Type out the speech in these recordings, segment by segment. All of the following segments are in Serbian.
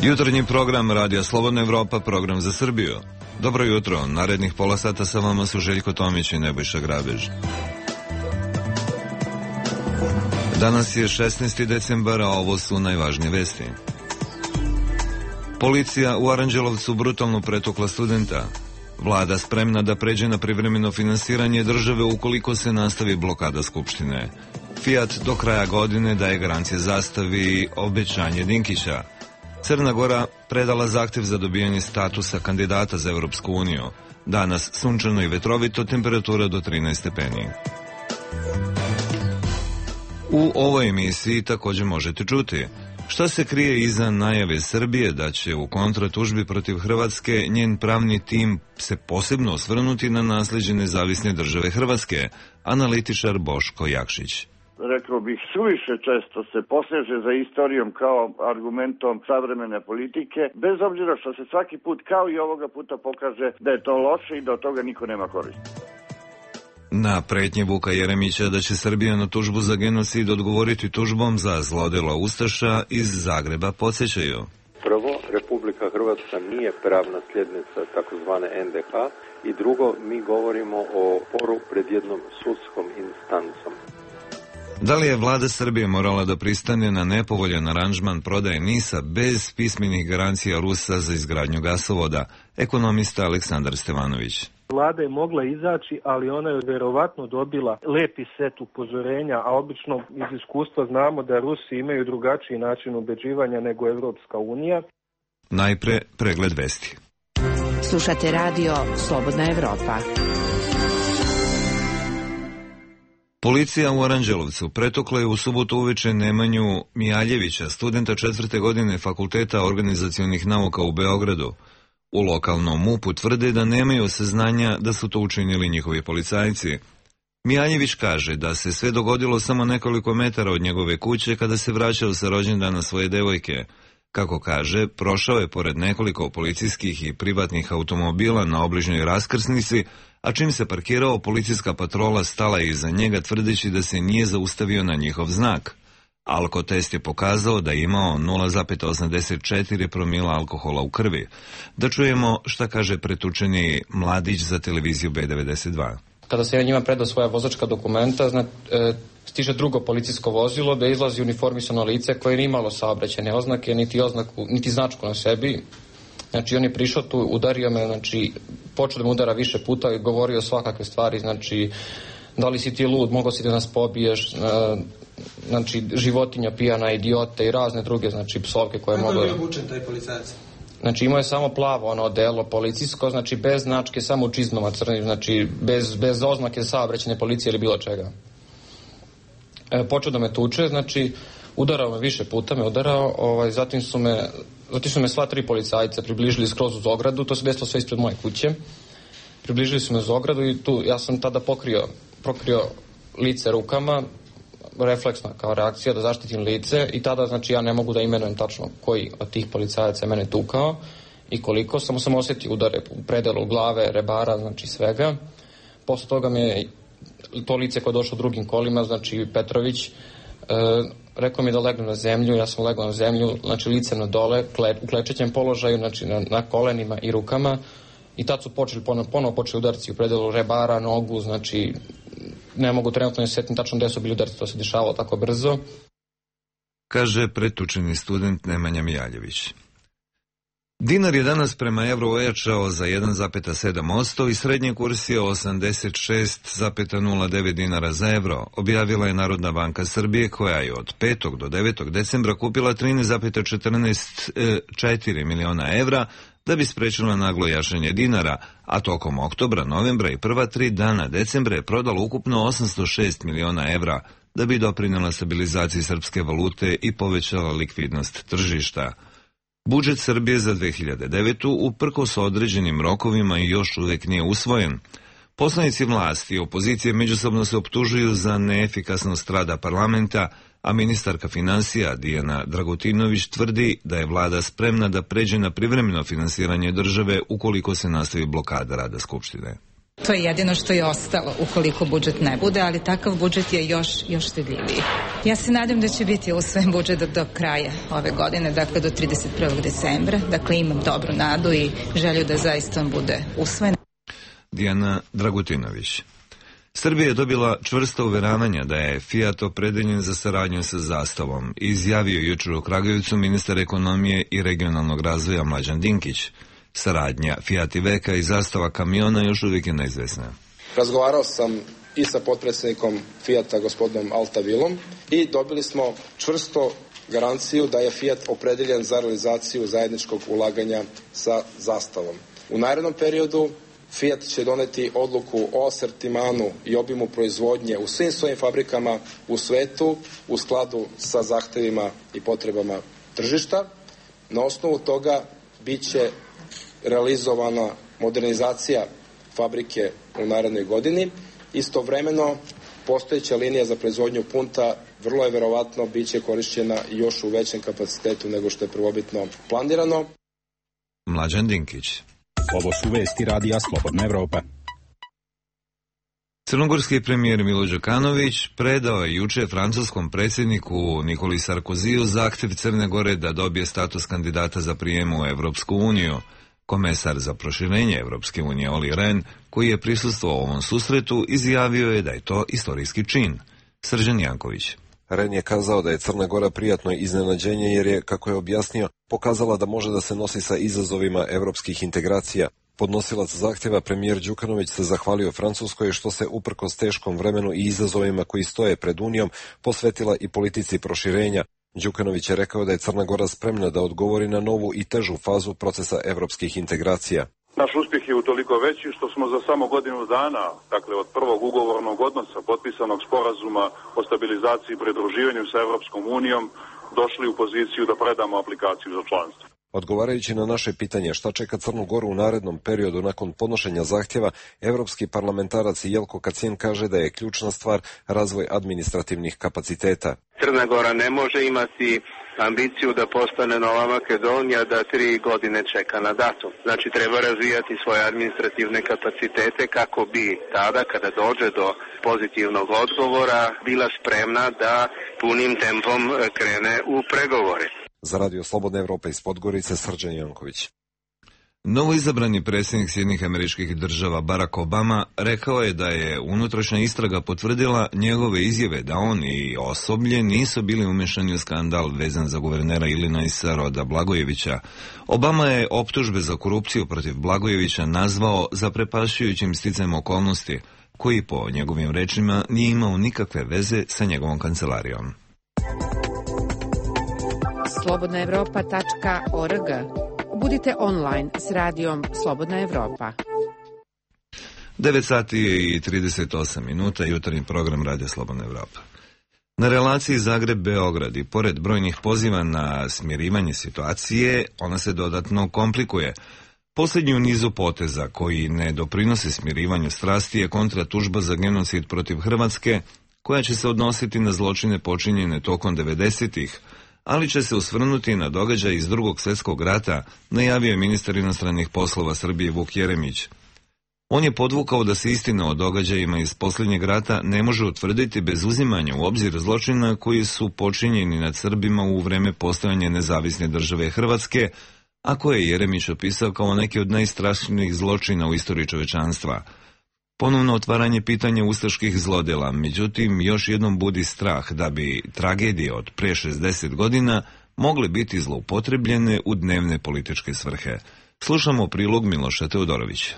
Jutarnji program Radija Slobodna Evropa, program za Srbiju. Dobro jutro, narednih pola sata sa vama su Željko Tomić i Nebojša Grabež. Danas je 16. decembar, a ovo su najvažnije vesti. Policija u Aranđelovcu brutalno pretukla studenta. Vlada spremna da pređe na privremeno finansiranje države ukoliko se nastavi blokada Skupštine. Fiat do kraja godine daje garancije Zastavi, obećanje Dinkića. Crna Gora predala zahtev za dobijanje statusa kandidata za Evropsku uniju. Danas sunčano i vetrovito, temperatura do 13 stepeni. U ovoj emisiji također možete čuti šta se krije iza najave Srbije da će u kontratužbi protiv Hrvatske njen pravni tim se posebno osvrnuti na nasleđe nezavisne države Hrvatske, analitičar Boško Jakšić. Rekao bih, suviše često se poseže za istorijom kao argumentom savremene politike, bez obzira što se svaki put, kao i ovoga puta, pokaže da je to loše i da od toga niko nema koristi. Na pretnje Vuka Jeremića da će Srbija na tužbu za genocid odgovoriti tužbom za zlodelo ustaša iz Zagreba podsjećaju. Prvo, Republika Hrvatska nije pravna sljednica takozvane NDH i drugo, mi govorimo o sporu pred jednom sudskom instancom. Da li je vlada Srbije morala da pristane na nepovoljan aranžman prodaje NIS-a bez pismenih garancija Rusa za izgradnju gasovoda? Ekonomista Aleksandar Stevanović. Vlada je mogla izaći, ali ona je verovatno dobila lepi set upozorenja, a obično iz iskustva znamo da Rusi imaju drugačiji način ubeđivanja nego Evropska unija. Najpre pregled vesti. Slušate radio Slobodna Evropa. Policija u Aranđelovcu pretukla je u subotu uveče Nemanju Mijaljevića, studenta 4. godine Fakulteta organizacionih nauka u Beogradu. U lokalnom MUP-u tvrde da nemaju saznanja da su to učinili njihovi policajci. Mijaljević kaže da se sve dogodilo samo nekoliko metara od njegove kuće kada se vraćao sa rođendana svoje devojke. Kako kaže, prošao je pored nekoliko policijskih i privatnih automobila na obližnjoj raskrsnici, a čim se parkirao, policijska patrola stala je iza njega tvrdeći da se nije zaustavio na njihov znak. Alkotest je pokazao da je imao 0,84 promila alkohola u krvi. Da čujemo šta kaže pretučeni mladić za televiziju B92. Kada se njima predao svoja vozačka dokumenta, stiže drugo policijsko vozilo da izlazi uniformisano lice koje nije imalo saobraćajne oznake, niti značku na sebi. Znači, on je prišao tu, udario me, znači, počeo da me udara više puta i govorio svakakve stvari, znači, da li si ti lud, mogao si da nas pobiješ, znači, životinja pijana, idiote i razne druge, znači, psovke koje mogu... Kako je bio obučen taj policajac? Znači, imao je samo plavo ono odelo policijsko, znači, bez značke, samo u čizmama crnim, znači, bez oznake saobraćajne policije ili bilo čega. Počeo da me tuče, znači, udarao me više puta, zatim su me sva tri policajca približili skroz uz ogradu, to se desilo sve ispred moje kuće. Približili su me uz ogradu i tu ja sam tada pokrio lice rukama, refleksna kao reakcija da zaštitim lice i tada, znači, ja ne mogu da imenujem tačno koji od tih policajaca je mene tukao i koliko, samo sam osjetio udare u predelu glave, rebara, znači svega. Posle toga me to lice koje je došlo drugim kolima, znači Petrović, rekao mi da legnem na zemlju, ja sam legao na zemlju, znači lice na dole, u klečećem položaju, znači na kolenima i rukama i tad su ponovo počeli udarci u predelu rebara, nogu, znači ne mogu trenutno ne sjetim tačno gde su bili udarci, to se dešavalo tako brzo. Kaže pretučeni student Nemanja Mijaljević. Dinar je danas prema evru ojačao za 1,7% i srednji kurs je 86,09 dinara za evro, objavila je Narodna banka Srbije koja je od 5. do 9. decembra kupila 13,44 miliona evra da bi sprečila naglo jačanje dinara, a tokom oktobra, novembra i prva 3 dana decembra je prodala ukupno 806 miliona evra da bi doprinela stabilizaciji srpske valute i povećala likvidnost tržišta. Budžet Srbije za 2009. uprkos određenim rokovima još uvek nije usvojen. Poslanici vlasti i opozicije međusobno se optužuju za neefikasnost rada parlamenta, a ministarka finansija Dijana Dragutinović tvrdi da je vlada spremna da pređe na privremeno finansiranje države ukoliko se nastavi blokada rada Skupštine. To je jedino što je ostalo ukoliko budžet ne bude, ali takav budžet je još štedljiviji. Ja se nadam da će biti usvojen budžet do kraja ove godine, dakle do 31. decembra. Dakle, imam dobru nadu i želju da zaista on bude usvojen. Dijana Dragutinović. Srbija je dobila čvrsto uveravanja da je Fiat opredeljen za saradnju sa Zastavom, izjavio jučer u Kragujevcu ministar ekonomije i regionalnog razvoja Mlađan Dinkić. Saradnja Fiat Iveca i Zastava kamiona još uvijek je neizvesna. Razgovarao sam i sa potpredsjednikom Fiata gospodinom Altavilom i dobili smo čvrsto garanciju da je Fiat opredeljen za realizaciju zajedničkog ulaganja sa Zastavom. U narednom periodu Fiat će doneti odluku o asortimanu i obimu proizvodnje u svim svojim fabrikama u svetu u skladu sa zahtevima i potrebama tržišta. Na osnovu toga biće realizovana modernizacija fabrike u narednoj godini. Istovremeno, postojeća linija za proizvodnju punta vrlo je verovatno biće korišćena još u većem kapacitetu nego što je prvobitno planirano. Mlađan Dinkić. Ovo su vesti radija Slobodna Evropa. Crnogorski premijer Milo Đukanović predao je juče francuskom predsjedniku Nikoli Sarkoziju zahtjev Crne Gore da dobije status kandidata za prijem u Evropsku uniju. Komesar za proširenje Evropske unije Olli Rehn, koji je prisustvovao ovom susretu, izjavio je da je to istorijski čin. Srđan Janković. Rehn je kazao da je Crna Gora prijatno iznenađenje jer je, kako je objasnio, pokazala da može da se nosi sa izazovima evropskih integracija. Podnosilac zahtjeva premijer Đukanović se zahvalio Francuskoj što se uprkos teškom vremenu i izazovima koji stoje pred Unijom posvetila i politici proširenja. Đukanović je rekao da je Crna Gora spremna da odgovori na novu i težu fazu procesa evropskih integracija. Naš uspjeh je utoliko veći što smo za samo godinu dana, dakle od prvog ugovornog odnosa, potpisanog sporazuma o stabilizaciji i pridruživanju sa Evropskom unijom, došli u poziciju da predamo aplikaciju za članstvo. Odgovarajući na naše pitanje šta čeka Crnu Goru u narednom periodu nakon podnošenja zahtjeva, evropski parlamentarac Jelko Kacin kaže da je ključna stvar razvoj administrativnih kapaciteta. Crna Gora ne može imati ambiciju da postane Nova Makedonija da 3 godine čeka na datum. Znači treba razvijati svoje administrativne kapacitete kako bi tada kada dođe do pozitivnog odgovora bila spremna da punim tempom krene u pregovore. Za Radio Slobodna Evropa iz Podgorice, Srđan Janković. Novoizabrani predsjednik Sjedinjenih Američkih Država Barack Obama rekao je da je unutrašnja istraga potvrdila njegove izjave da on i osoblje nisu bili umešani u skandal vezan za guvernera Illinoisa Roda Blagojevića. Obama je optužbe za korupciju protiv Blagojevića nazvao zaprepašćujućim sticajem okolnosti, koji po njegovim rečima nije imao nikakve veze sa njegovom kancelarijom. slobodnaevropa.org. Budite online s radijom Slobodna Evropa. 9 sati i 38 minuta, jutarnji program Radija Slobodna Evropa. Na relaciji Zagreb-Beograd i pored brojnih poziva na smirivanje situacije, ona se dodatno komplikuje. Posljednji u nizu poteza koji ne doprinose smirivanju strasti je kontratužba za genocid protiv Hrvatske, koja će se odnositi na zločine počinjene tokom 90-ih, ali će se osvrnuti na događaj iz Drugog svjetskog rata, najavio je ministar inostranih poslova Srbije Vuk Jeremić. On je podvukao da se istina o događajima iz posljednjeg rata ne može utvrditi bez uzimanja u obzir zločina koji su počinjeni nad Srbima u vreme postojanja nezavisne države Hrvatske, a koje je Jeremić opisao kao neki od najstrašnijih zločina u istoriji čovečanstva. Ponovno otvaranje pitanja ustaških zlodjela, međutim, još jednom budi strah da bi tragedije od pre 60 godina mogle biti zloupotrebljene u dnevne političke svrhe. Slušamo prilog Miloša Teodorovića.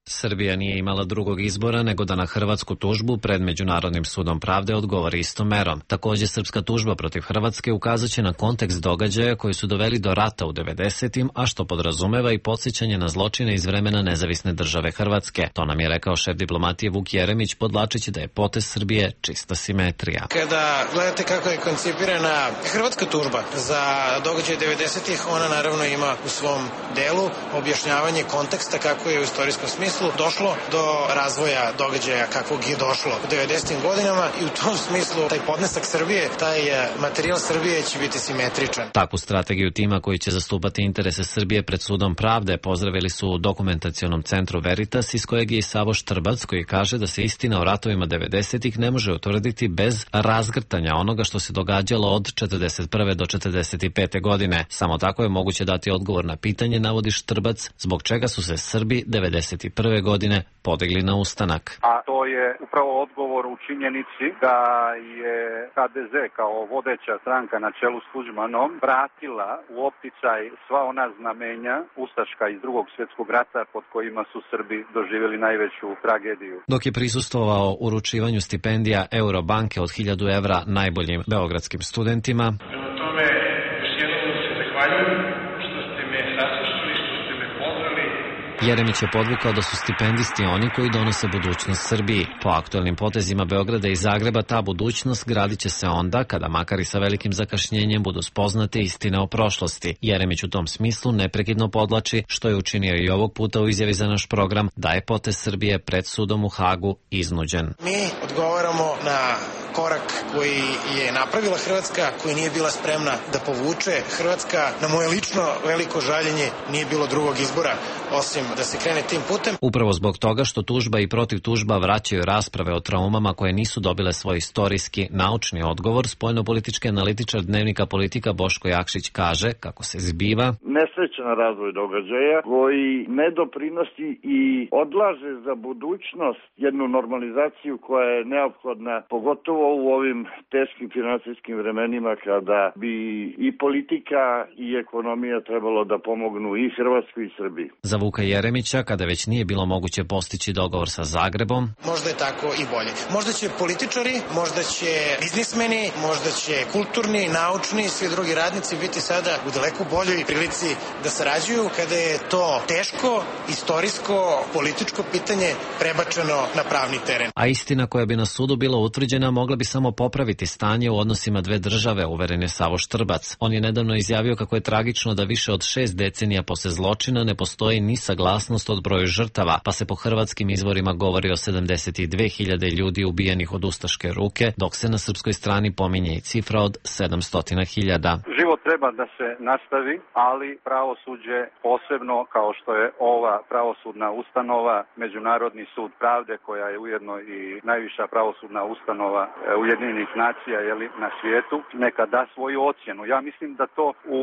Srbija nije imala drugog izbora nego da na hrvatsku tužbu pred Međunarodnim sudom pravde odgovori istom merom. Također, srpska tužba protiv Hrvatske ukazat će na kontekst događaja koji su doveli do rata u 90-im, a što podrazumeva i podsjećanje na zločine iz vremena nezavisne države Hrvatske. To nam je rekao šef diplomatije Vuk Jeremić, podvlačeći da je potez Srbije čista simetrija. Kada gledate kako je koncipirana hrvatska tužba za događaje 90-ih, ona naravno ima u svom delu objašnjavanje konteksta kako je u istorijskom smislu smislu došlo do razvoja događaja kakvog je došlo u 90. godinama i u tom smislu taj podnesak Srbije, taj materijal Srbije će biti simetričan. Takvu strategiju tima koji će zastupati interese Srbije pred sudom pravde pozdravili su u dokumentacionom centru Veritas, iz kojeg je i Savo Štrbac, koji kaže da se istina o ratovima 90-ih ne može utvrditi bez razgrtanja onoga što se događalo od 41. do 45. godine. Samo tako je moguće dati odgovor na pitanje, navodi Štrbac, zbog čega su se Srbi 91. godine podigli na ustanak. A to je upravo odgovor u činjenici da je HDZ kao vodeća stranka na čelu s Tuđmanom vratila u opticaj sva ona znamenja ustaška iz Drugog svjetskog rata pod kojima su Srbi doživjeli najveću tragediju. Dok je prisustvovao uručivanju stipendija Eurobanke od 1000 evra najboljim beogradskim studentima, prema tome, još jednom se zahvaljujem što ste me saslušali, što ste me pozvali. Jeremić je podvukao da su stipendisti oni koji donose budućnost Srbiji. Po aktuelnim potezima Beograda i Zagreba ta budućnost gradit će se onda kada, makar i sa velikim zakašnjenjem, budu spoznate istine o prošlosti. Jeremić u tom smislu neprekidno podlači, što je učinio i ovog puta u izjavi za naš program, da je potez Srbije pred sudom u Hagu iznuđen. Mi odgovaramo na korak koji je napravila Hrvatska, koji nije bila spremna da povuče. Hrvatska, na moje lično veliko žaljenje, nije bilo drugog izbora osim da se krene tim putem. Upravo zbog toga što tužba i protiv tužba vraćaju rasprave o traumama koje nisu dobile svoj istorijski, naučni odgovor, spoljnopolitički analitičar Dnevnika Politika Boško Jakšić kaže kako se zbiva nesrećan razvoj događaja koji ne doprinosi i odlaže za budućnost jednu normalizaciju koja je neophodna, pogotovo u ovim teškim finansijskim vremenima kada bi i politika i ekonomija trebalo da pomognu i Hrvatskoj i Srbiji. Za Vuka Jeremića, kada već nije bilo moguće postići dogovor sa Zagrebom, možda je tako i bolje. Možda će političari, možda će biznismeni, možda će kulturni, naučni i svi drugi radnici biti sada u daleko boljoj prilici da sarađuju kada je to teško, istorijsko, političko pitanje prebačeno na pravni teren. A istina koja bi na sudu bila utvrđena mogla bi samo popraviti stanje u odnosima dve države, uveren je Savo Štrbac. On je nedavno izjavio kako je tragično da više od 6 decenija posle zločina ne postoji ni saglasnost od broju žrtava, pa se po hrvatskim izvorima govori o 72.000 ljudi ubijenih od ustaške ruke, dok se na srpskoj strani pominje i cifra od 700.000. Život treba da se nastavi, ali pravosuđe, posebno kao što je ova pravosudna ustanova, Međunarodni sud pravde, koja je ujedno i najviša pravosudna ustanova Ujedinjenih nacija na svijetu, neka da svoju ocjenu. Ja mislim da to u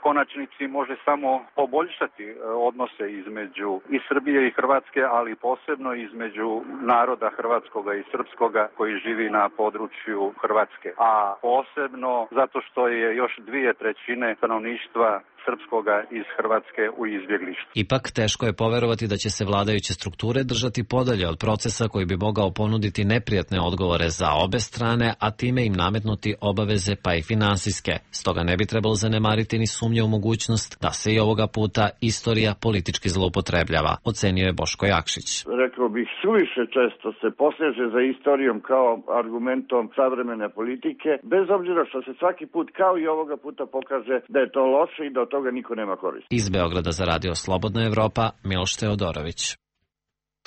konačnici može samo poboljšati odnose između i Srbije i Hrvatske, ali posebno između naroda hrvatskoga i srpskoga koji živi na području Hrvatske. A posebno zato što je još 2/3 stanovništva srpskoga iz Hrvatske u izbjeglištvu. Ipak teško je poverovati da će se vladajuće strukture držati podalje od procesa koji bi mogao ponuditi neprijatne odgovore za obe strane, a time im nametnuti obaveze pa i finansijske. Stoga ne bi trebalo zanemariti ni sumnje u mogućnost da se i ovoga puta istorija politički zloupotrebljava, ocenio je Boško Jakšić. Rekao bih, suviše često se poseže za istorijom kao argumentom savremene politike, bez obzira što se svaki put kao i ovoga puta pokaže da je to loše i da od toga niko nema koristi. Iz Beograda za Radio Slobodna Evropa, Miloš Teodorović.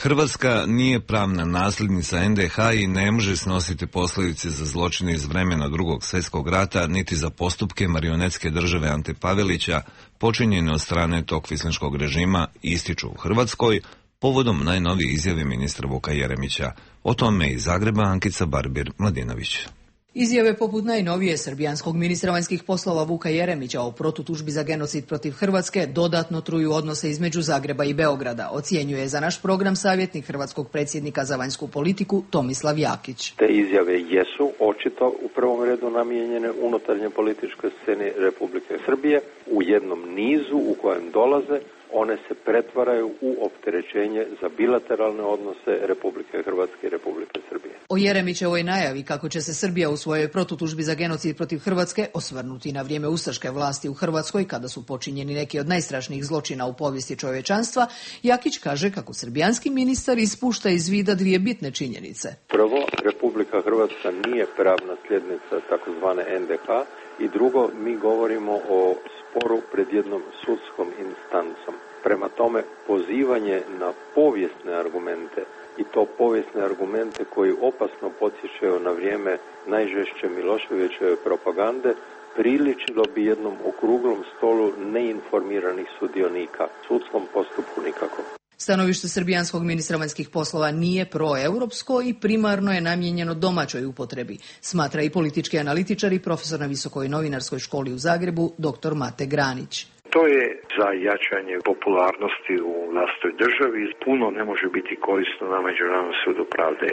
Hrvatska nije pravna nasljednica NDH i ne može snositi posljedice za zločine iz vremena Drugog svjetskog rata, niti za postupke marionetske države Ante Pavelića počinjene od strane tog kvislinškog režima, ističu u Hrvatskoj povodom najnovije izjave ministra Vuka Jeremića. O tome iz Zagreba Ankica Barbir-Mladinović. Izjave poput najnovije srbijanskog ministra vanjskih poslova Vuka Jeremića o protutužbi za genocid protiv Hrvatske dodatno truju odnose između Zagreba i Beograda, ocjenjuje za naš program savjetnik hrvatskog predsjednika za vanjsku politiku Tomislav Jakić. Te izjave jesu očito u prvom redu namijenjene unutarnje političkoj sceni Republike Srbije. U jednom nizu u kojem dolaze, one se pretvaraju u opterećenje za bilateralne odnose Republike Hrvatske i Republike Srbije. O Jeremićevoj najavi kako će se Srbija u svojoj protutužbi za genocid protiv Hrvatske osvrnuti na vrijeme ustaške vlasti u Hrvatskoj, kada su počinjeni neki od najstrašnijih zločina u povijesti čovječanstva, Jakić kaže kako srbijanski ministar ispušta iz vida dvije bitne činjenice. Prvo, Republika Hrvatska nije pravna sljednica takozvane NDH i drugo, mi govorimo o sporu pred jednom sudskom instancom. Prema tome, pozivanje na povijesne argumente i to povijesne argumente koji opasno podsjećaju na vrijeme najžešće Miloševićeve propagande, priličilo bi jednom okruglom stolu neinformiranih sudionika, sudskom postupku nikako. Stanovište srbijanskog ministra vanjskih poslova nije proeuropsko i primarno je namijenjeno domaćoj upotrebi, smatra i politički analitičar i profesor na Visokoj novinarskoj školi u Zagrebu, dr. Mate Granić. To je za jačanje popularnosti u vlastitoj državi. Puno ne može biti korisno na Međunarodnom sudu pravde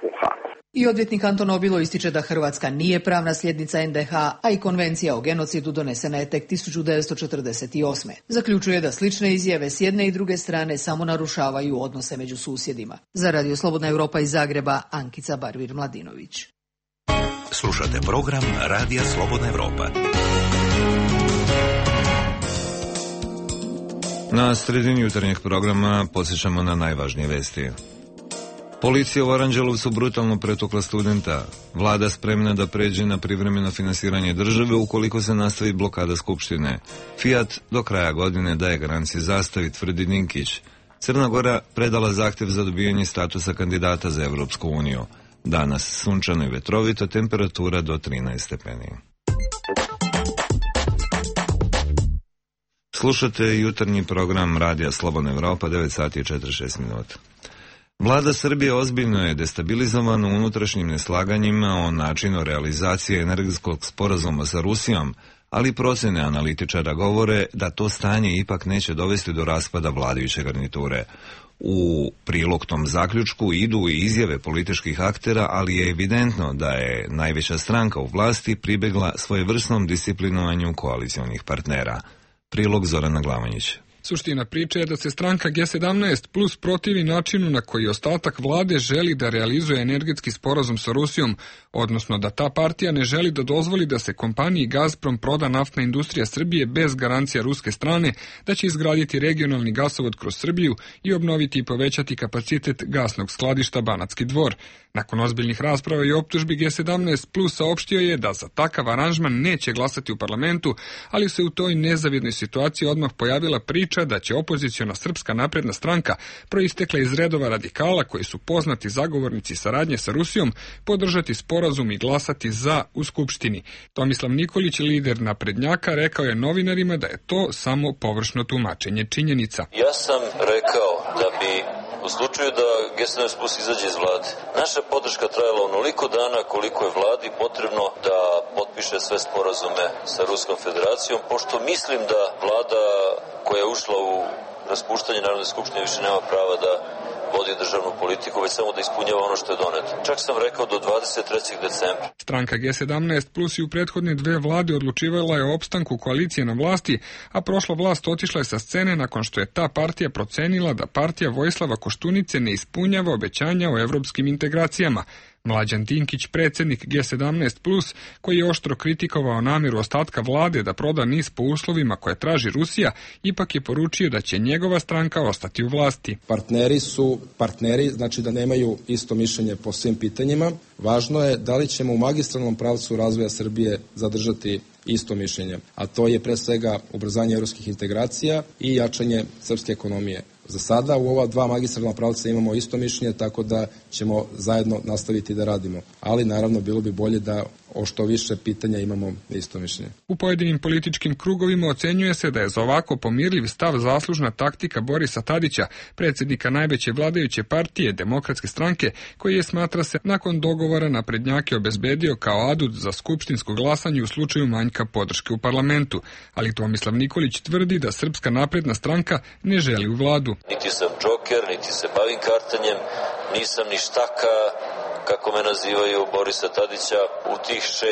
u Hagu. I odvjetnik Anton Obilo ističe da Hrvatska nije pravna sljednica NDH, a i konvencija o genocidu donesena je tek 1948. Zaključuje da slične izjave s jedne i druge strane samo narušavaju odnose među susjedima. Za Radio Slobodna Europa iz Zagreba, Ankica Barvir-Mladinović. Slušate program Radija Slobodna Europa. Na sredini jutarnjeg programa podsjećamo na najvažnije vesti. Policija u Aranđelovcu brutalno pretukla studenta. Vlada spremna da pređe na privremeno finansiranje države ukoliko se nastavi blokada Skupštine. Fiat do kraja godine daje garanciju zastavi, tvrdi Dinkić. Crna Gora predala zahtjev za dobijanje statusa kandidata za Evropsku uniju. Danas sunčano i vetrovito, temperatura do 13 stepeni. Slušate jutarnji program Radija Slobodna Evropa, 9 sati i 46 minuta. Vlada Srbije ozbiljno je destabilizovana unutrašnjim neslaganjima o načinu realizacije energetskog sporazuma sa Rusijom, ali procene analitičara govore da to stanje ipak neće dovesti do raspada vladajuće garniture. U prilog tom zaključku idu i izjave političkih aktera, ali je evidentno da je najveća stranka u vlasti pribegla svojevrsnom disciplinovanju koalicionih partnera. Prilog Zorana Glavanjić. Suština priče je da se stranka G17 plus protivi načinu na koji ostatak vlade želi da realizuje energetski sporazum sa Rusijom, odnosno da ta partija ne želi da dozvoli da se kompaniji Gazprom proda naftna industrija Srbije bez garancija ruske strane, da će izgraditi regionalni gasovod kroz Srbiju i obnoviti i povećati kapacitet gasnog skladišta Banatski Dvor. Nakon ozbiljnih rasprava i optužbi G17 plus saopštio je da za takav aranžman neće glasati u parlamentu, ali se u toj nezavidnoj situaciji odmah pojavila priča da će opoziciona Srpska napredna stranka, proistekla iz redova radikala koji su poznati zagovornici saradnje sa Rusijom, podržati sporazum i glasati za u Skupštini. Tomislav Nikolić, lider naprednjaka, rekao je novinarima da je to samo površno tumačenje činjenica. Ja sam rekao da bi u slučaju da G17 plus izađe iz vlade, naša podrška trajala onoliko dana koliko je vladi potrebno da potpiše sve sporazume sa Ruskom federacijom, pošto mislim da vlada koja je ušla u raspuštanje Narodne skupštine više nema prava da vodi državnu politiku, već samo da ispunjava ono što je doneto. Čak sam rekao do 23. decembra. Stranka G17 plus i u prethodne dve vlade odlučivala je o opstanku koalicije na vlasti, a prošla vlast otišla je sa scene nakon što je ta partija procenila da partija Vojislava Koštunice ne ispunjava obećanja o evropskim integracijama. Mlađan Dinkić, predsjednik G17+, koji je oštro kritikovao namjeru ostatka vlade da proda NIS po uslovima koje traži Rusija, ipak je poručio da će njegova stranka ostati u vlasti. Partneri su partneri, znači da nemaju isto mišljenje po svim pitanjima. Važno je da li ćemo u magistralnom pravcu razvoja Srbije zadržati isto mišljenje, a to je pre svega ubrzanje evropskih integracija i jačanje srpske ekonomije. Za sada u ova dva magistralna pravca imamo isto mišljenje, tako da ćemo zajedno nastaviti da radimo. Ali naravno bilo bi bolje da o što više pitanja imamo isto mišljenje. U pojedinim političkim krugovima ocenjuje se da je za ovako pomirljiv stav zaslužna taktika Borisa Tadića, predsjednika najveće vladajuće partije Demokratske stranke, koji je, smatra se, nakon dogovora naprednjake obezbedio kao adut za skupštinsko glasanje u slučaju manjka podrške u parlamentu. Ali Tomislav Nikolić tvrdi da Srpska napredna stranka ne želi u vladu. Niti sam džoker, niti se bavim kartanjem, nisam ni štaka, kako me nazivaju, Borisa Tadića. U tih 6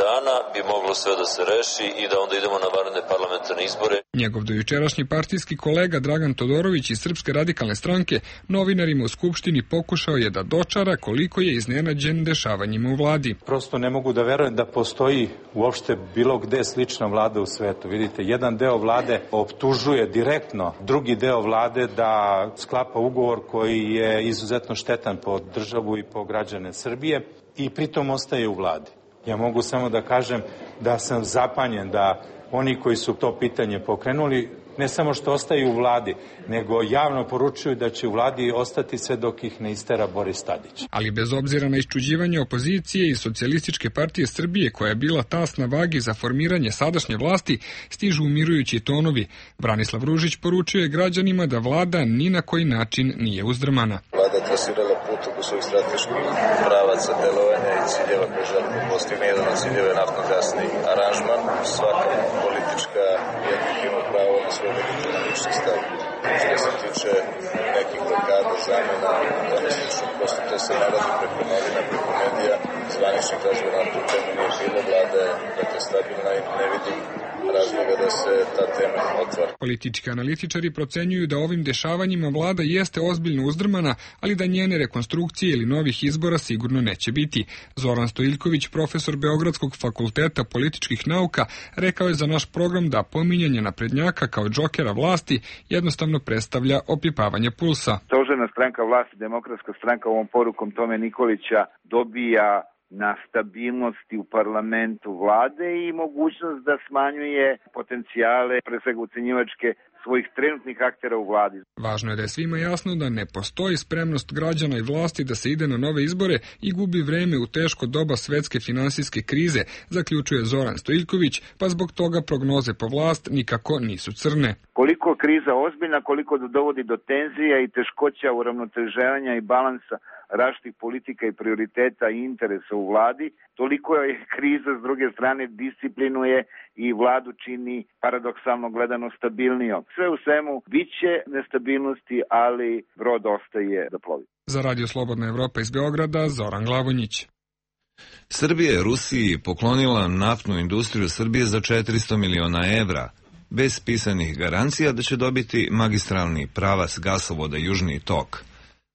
dana bi moglo sve da se reši i da onda idemo na vanredne parlamentarne izbore. Njegov dojučerašnji partijski kolega Dragan Todorović iz Srpske radikalne stranke novinarima u Skupštini pokušao je da dočara koliko je iznenađen dešavanjima u vladi. Prosto ne mogu da verujem da postoji uopšte bilo gde slična vlada u svetu. Vidite, jedan deo vlade optužuje direktno drugi deo vlade da sklapa ugovor koji je izuzetno štetan po državu i po građane Srbije i pritom ostaje u vladi. Ja mogu samo da kažem da sam zapanjen da oni koji su to pitanje pokrenuli ne samo što ostaju u vladi, nego javno poručuju da će u vladi ostati sve dok ih ne istera Boris Tadić. Ali bez obzira na iščuđivanje opozicije i Socijalističke partije Srbije, koja je bila tas na vagi za formiranje sadašnje vlasti, stižu umirujući tonovi. Branislav Ružić poručuje građanima da vlada ni na koji način nije uzdrmana. Vlada trasirala put oko svojih strateških pravaca delovanja i ciljeva koje želi da postigne. Jedan od ciljeva je naftno-gasni aranžman. Svaka politička jednik ima pravo na svoj legitimni lični stav. Što se tiče nekih blokada, zamena, tome slično, prosto to se ne radi preko novina, preko medija, zvaničnih razgovora na tu temu nije bilo, vlada je dakle stabilna i ne vidim razloga da se ta tema otvara. Politički analitičari procenjuju da ovim dešavanjima vlada jeste ozbiljno uzdrmana, ali da njene rekonstrukcije ili novih izbora sigurno neće biti. Zoran Stojiljković, profesor Beogradskog fakulteta političkih nauka, rekao je za naš program da pominjanje naprednjaka kao džokera vlasti jednostavno predstavlja opipavanje pulsa. Stožerna stranka vlasti, Demokratska stranka ovom porukom Tome Nikolića dobija na stabilnosti u parlamentu vlade i mogućnost da smanjuje potencijale, pre svega ucenjivačke, svojih trenutnih aktera u vladi. Važno je da je svima jasno da ne postoji spremnost građana i vlasti da se ide na nove izbore i gubi vreme u teško doba svetske finansijske krize, zaključuje Zoran Stojiljković, pa zbog toga prognoze po vlast nikako nisu crne. Koliko kriza ozbiljna, koliko dovodi do tenzija i teškoća uravnoteženja i balansa različitih politika i prioriteta i interesa u vladi, toliko je kriza s druge strane disciplinuje i vladu čini paradoksalno gledano stabilnijom. Sve u svemu biće nestabilnosti, ali brod ostaje da plovi. Za Radio Slobodna Evropa iz Beograda, Zoran Glavonjić. Srbija je Rusiji poklonila naftnu industriju Srbije za 400 miliona evra, bez pisanih garancija da će dobiti magistralni pravac gasovoda Južni tok.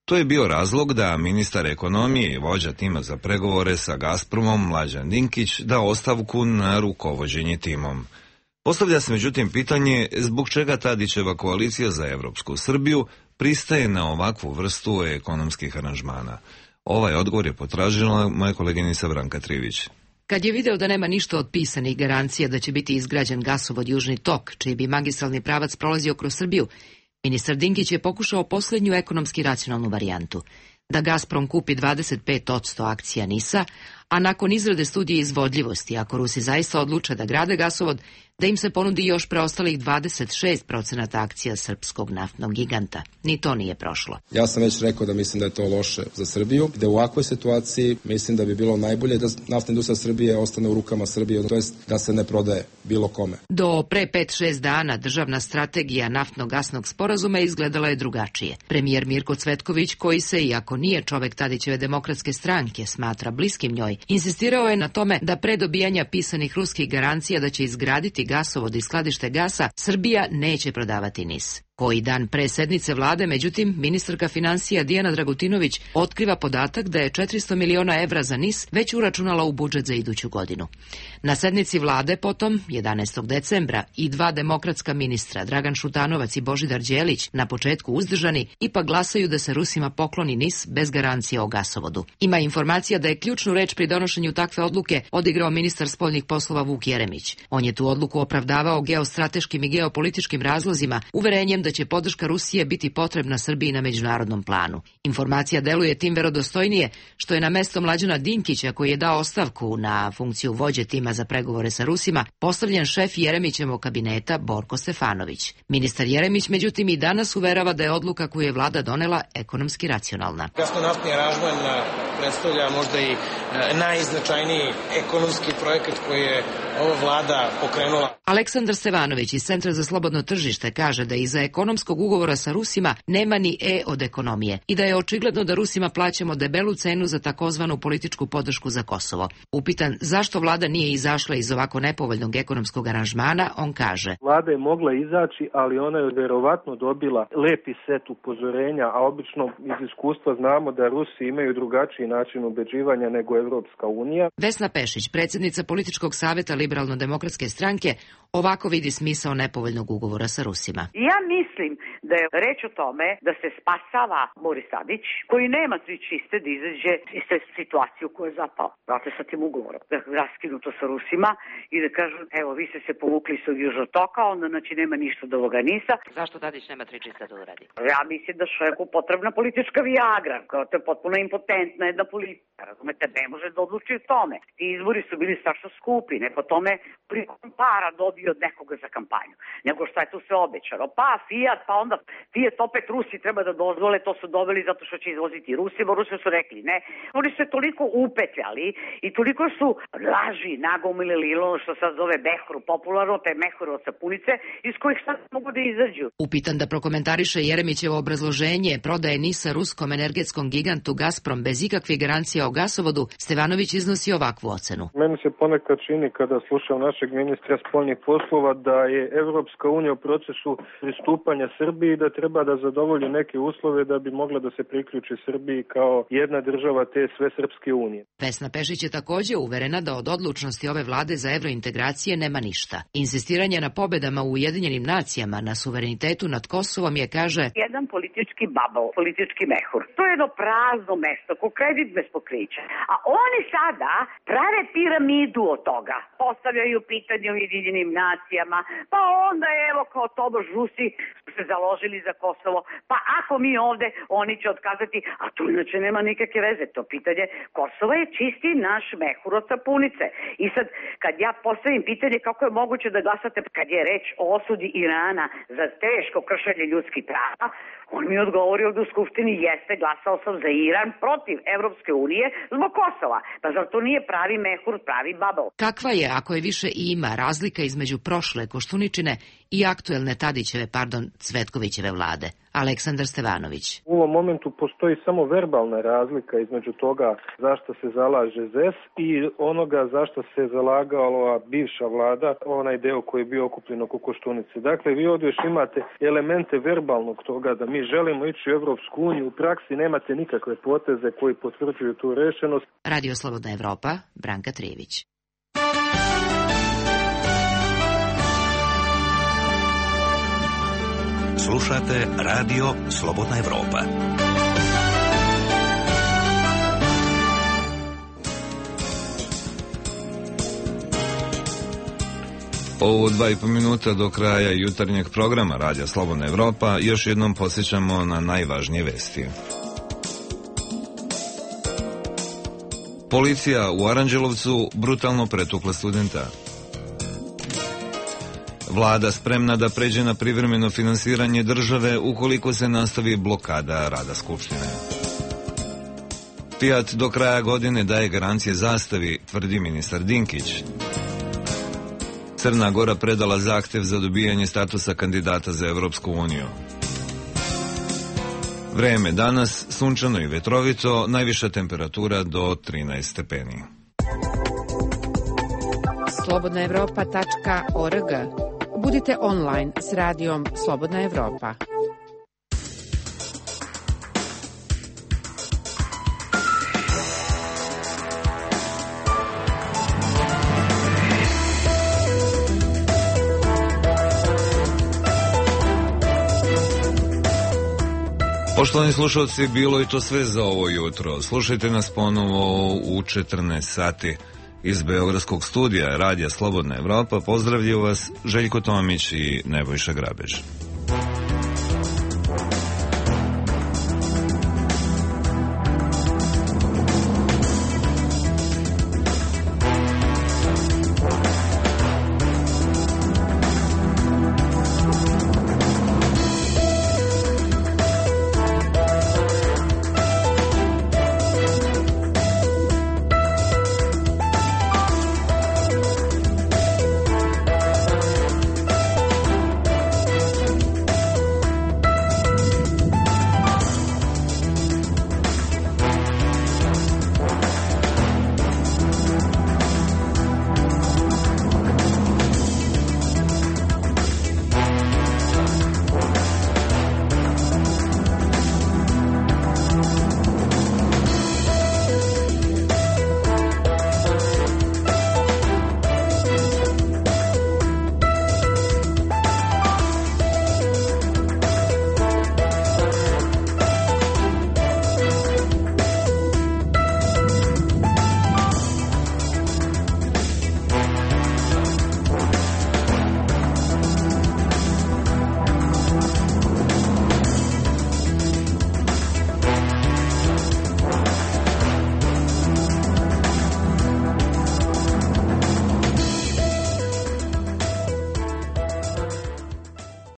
To je bio razlog da ministar ekonomije i vođa tima za pregovore sa Gazpromom Mlađan Dinkić da ostavku na rukovođenje timom. Postavlja se međutim pitanje zbog čega Tadićeva koalicija za Evropsku Srbiju pristaje na ovakvu vrstu ekonomskih aranžmana. Ovaj odgovor je potražila moja koleginica Branka Trivić. Kad je video da nema ništa od pisanih garancija da će biti izgrađen gasovod Južni tok, čiji bi magistralni pravac prolazio kroz Srbiju, ministar Dinkić je pokušao posljednju ekonomski racionalnu varijantu, da Gazprom kupi 25% akcija NIS-a, a nakon izrade studije izvodljivosti, ako Rusi zaista odluče da grade gasovod, da im se ponudi još preostalih 26% akcija srpskog naftnog giganta. Ni to nije prošlo. Ja sam već rekao da mislim da je to loše za Srbiju, da u ovakvoj situaciji mislim da bi bilo najbolje da naftna industrija Srbije ostane u rukama Srbije, to jest da se ne prodaje bilo kome. Do pre 5-6 dana državna strategija naftno-gasnog sporazuma izgledala je drugačije. Premijer Mirko Cvetković, koji se, iako nije čovek Tadićeve Demokratske stranke, smatra bliskim njoj, insistirao je na tome da pre dobijanja pisanih ruskih garancija da će izgraditi gasovod i skladište gasa, Srbija neće prodavati NIS. Koji dan pre sednice vlade, međutim, ministarka finansija Dijana Dragutinović otkriva podatak da je 400 miliona evra za NIS već uračunala u budžet za iduću godinu. Na sednici vlade potom, 11. decembra, i dva demokratska ministra, Dragan Šutanovac i Božidar Đelić, na početku uzdržani, ipak glasaju da se Rusima pokloni NIS bez garancije o gasovodu. Ima informacija da je ključnu reč pri donošenju takve odluke odigrao ministar spoljnih poslova Vuk Jeremić. On je tu odluku opravdavao geostrateškim i geopolitičkim razlozima, uverenjem da će podrška Rusije biti potrebna Srbiji na međunarodnom planu. Informacija deluje tim verodostojnije što je na mesto Mlađana Dinkića, koji je dao ostavku na funkciju vođe tima za pregovore sa Rusima, postavljen šef Jeremićevog kabineta Borko Stefanović. Ministar Jeremić međutim i danas uverava da je odluka koju je vlada donela ekonomski racionalna. Gasno-naftni aranžman predstavlja možda i najznačajniji ekonomski projekat koji je ova vlada pokrenula. Aleksandar Stevanović iz Centra za slobodno tržište kaže da iza ekonomskog ugovora sa Rusima nema ni E od ekonomije i da je očigledno da Rusima plaćamo debelu cenu za takozvanu političku podršku za Kosovo. Upitan zašto vlada nije izašla iz ovako nepovoljnog ekonomskog aranžmana, on kaže: Vlada je mogla izaći, ali ona je verovatno dobila lepi set upozorenja, a obično iz iskustva znamo da Rusi imaju drugačiji način ubeđivanja nego Evropska unija. Vesna Pešić, predsjednica političkog saveta Liberalno-demokratske stranke, ovako vidi smisao nepovoljnog ugovora sa Rusima. Ja mislim da je reč o tome da se spasava Boris Tadić, koji nema svi čiste da izađe iz te situacije u kojoj je zapao. Dakle, sa tim ugovorom, da je raskinuto sa Rusima i da kažu, evo, vi ste se povukli s Južnog toka, onda znači nema ništa od ovoga NIS-a. Zašto Tadić nema 3 čista da uradi? Ja mislim da čovjeku potrebna politička viagra, kao to je potpuno impotentna jedna politika, razumete, ne može da odluči o tome. Ti izbori su bili strašno skupi, ne po tome koliko para dobio od nekoga za kampanju, nego šta je tu sve obećano. Pa Fiat, pa onda Fiat opet Rusi treba da dozvole, to su doveli zato što će izvoziti Rusima, Rusi su rekli ne. Oni su se toliko upetljali i toliko su laži nagomilili ono što sad zove mehuru popularno, te mehuru od sapunice, iz kojih sad mogu da izađu. Upitan da prokomentariše Jeremićevo obrazloženje prodaje NIS-a ruskom energetskom gigantu Gazprom bez ikakvih garancija o gasovodu, Stevanović iznosi ovakvu ocenu. Meni se ponekad čini kada slušam našeg ministra spoljnih poslova da je Evropska unija u procesu pristupanja Srbiji, da treba da zadovolji neke uslove da bi mogla da se priključi Srbiji kao jedna država te sve Srpske unije. Vesna Pešić je takođe uverena da od odlučnosti ove vlade za evrointegracije nema ništa. Insistiranje na pobedama u Ujedinjenim nacijama na suverenitetu nad Kosovom je, kaže, jedan politički bubble, politički mehur. To je jedno prazno mesto, ko kredit bez pokrića. A oni sada prave piramidu od toga. Postavljaju pitanje u Ujedinjenim nacijama, pa onda evo kao tobož Rusi su se založili za Kosovo, pa ako mi ovde, oni će otkazati, a tu inače nema nikakve veze. To pitanje Kosova je čisti naš mehur od sapunice. I sad, kad ja postavim pitanje kako je moguće da glasate kad je reč o osudi Irana za teško kršenje ljudskih prava, on mi odgovori ovdje u Skupštini, jeste, glasao sam za Iran protiv Evropske unije zbog Kosova. Pa zar to nije pravi mehur, pravi bubble? Kakva je, ako je više i ima, razlika između prošle Koštuničine i aktuelne Tadićeve, Cvetkovićeve vlade? Aleksandar Stevanović. U ovom momentu postoji samo verbalna razlika između toga zašto se zalaže ZES i onoga zašto se zalagala bivša vlada, onaj deo koji je bio okupljen oko Koštunice. Dakle, vi ovdje još imate elemente verbalnog toga da mi želimo ići u Evropsku uniju, u praksi nemate nikakve poteze koji potvrđuju tu rešenost. Radio Slobodna Evropa, Branka Trijević. Slušate Radio Slobodna Evropa. Ovo 2,5 minuta do kraja jutarnjeg programa Radija Slobodna Evropa još jednom podsjećamo na najvažnije vesti. Policija u Aranđelovcu brutalno pretukla studenta. Vlada spremna da pređe na privremeno finansiranje države ukoliko se nastavi blokada rada Skupštine. Fiat do kraja godine daje garancije Zastavi, tvrdi ministar Dinkić. Crna Gora predala zahtev za dobijanje statusa kandidata za Evropsku uniju. Vreme danas, sunčano i vetrovito, najviša temperatura do 13 stepeni. slobodnaevropa.org. Budite online s radijom Slobodna Evropa. Poštovani slušalci, bilo je to sve za ovo jutro. Slušajte nas ponovo u 14 sati. Iz Beogradskog studija Radija Slobodna Evropa pozdravljaju vas Željko Tomić i Nebojša Grabež.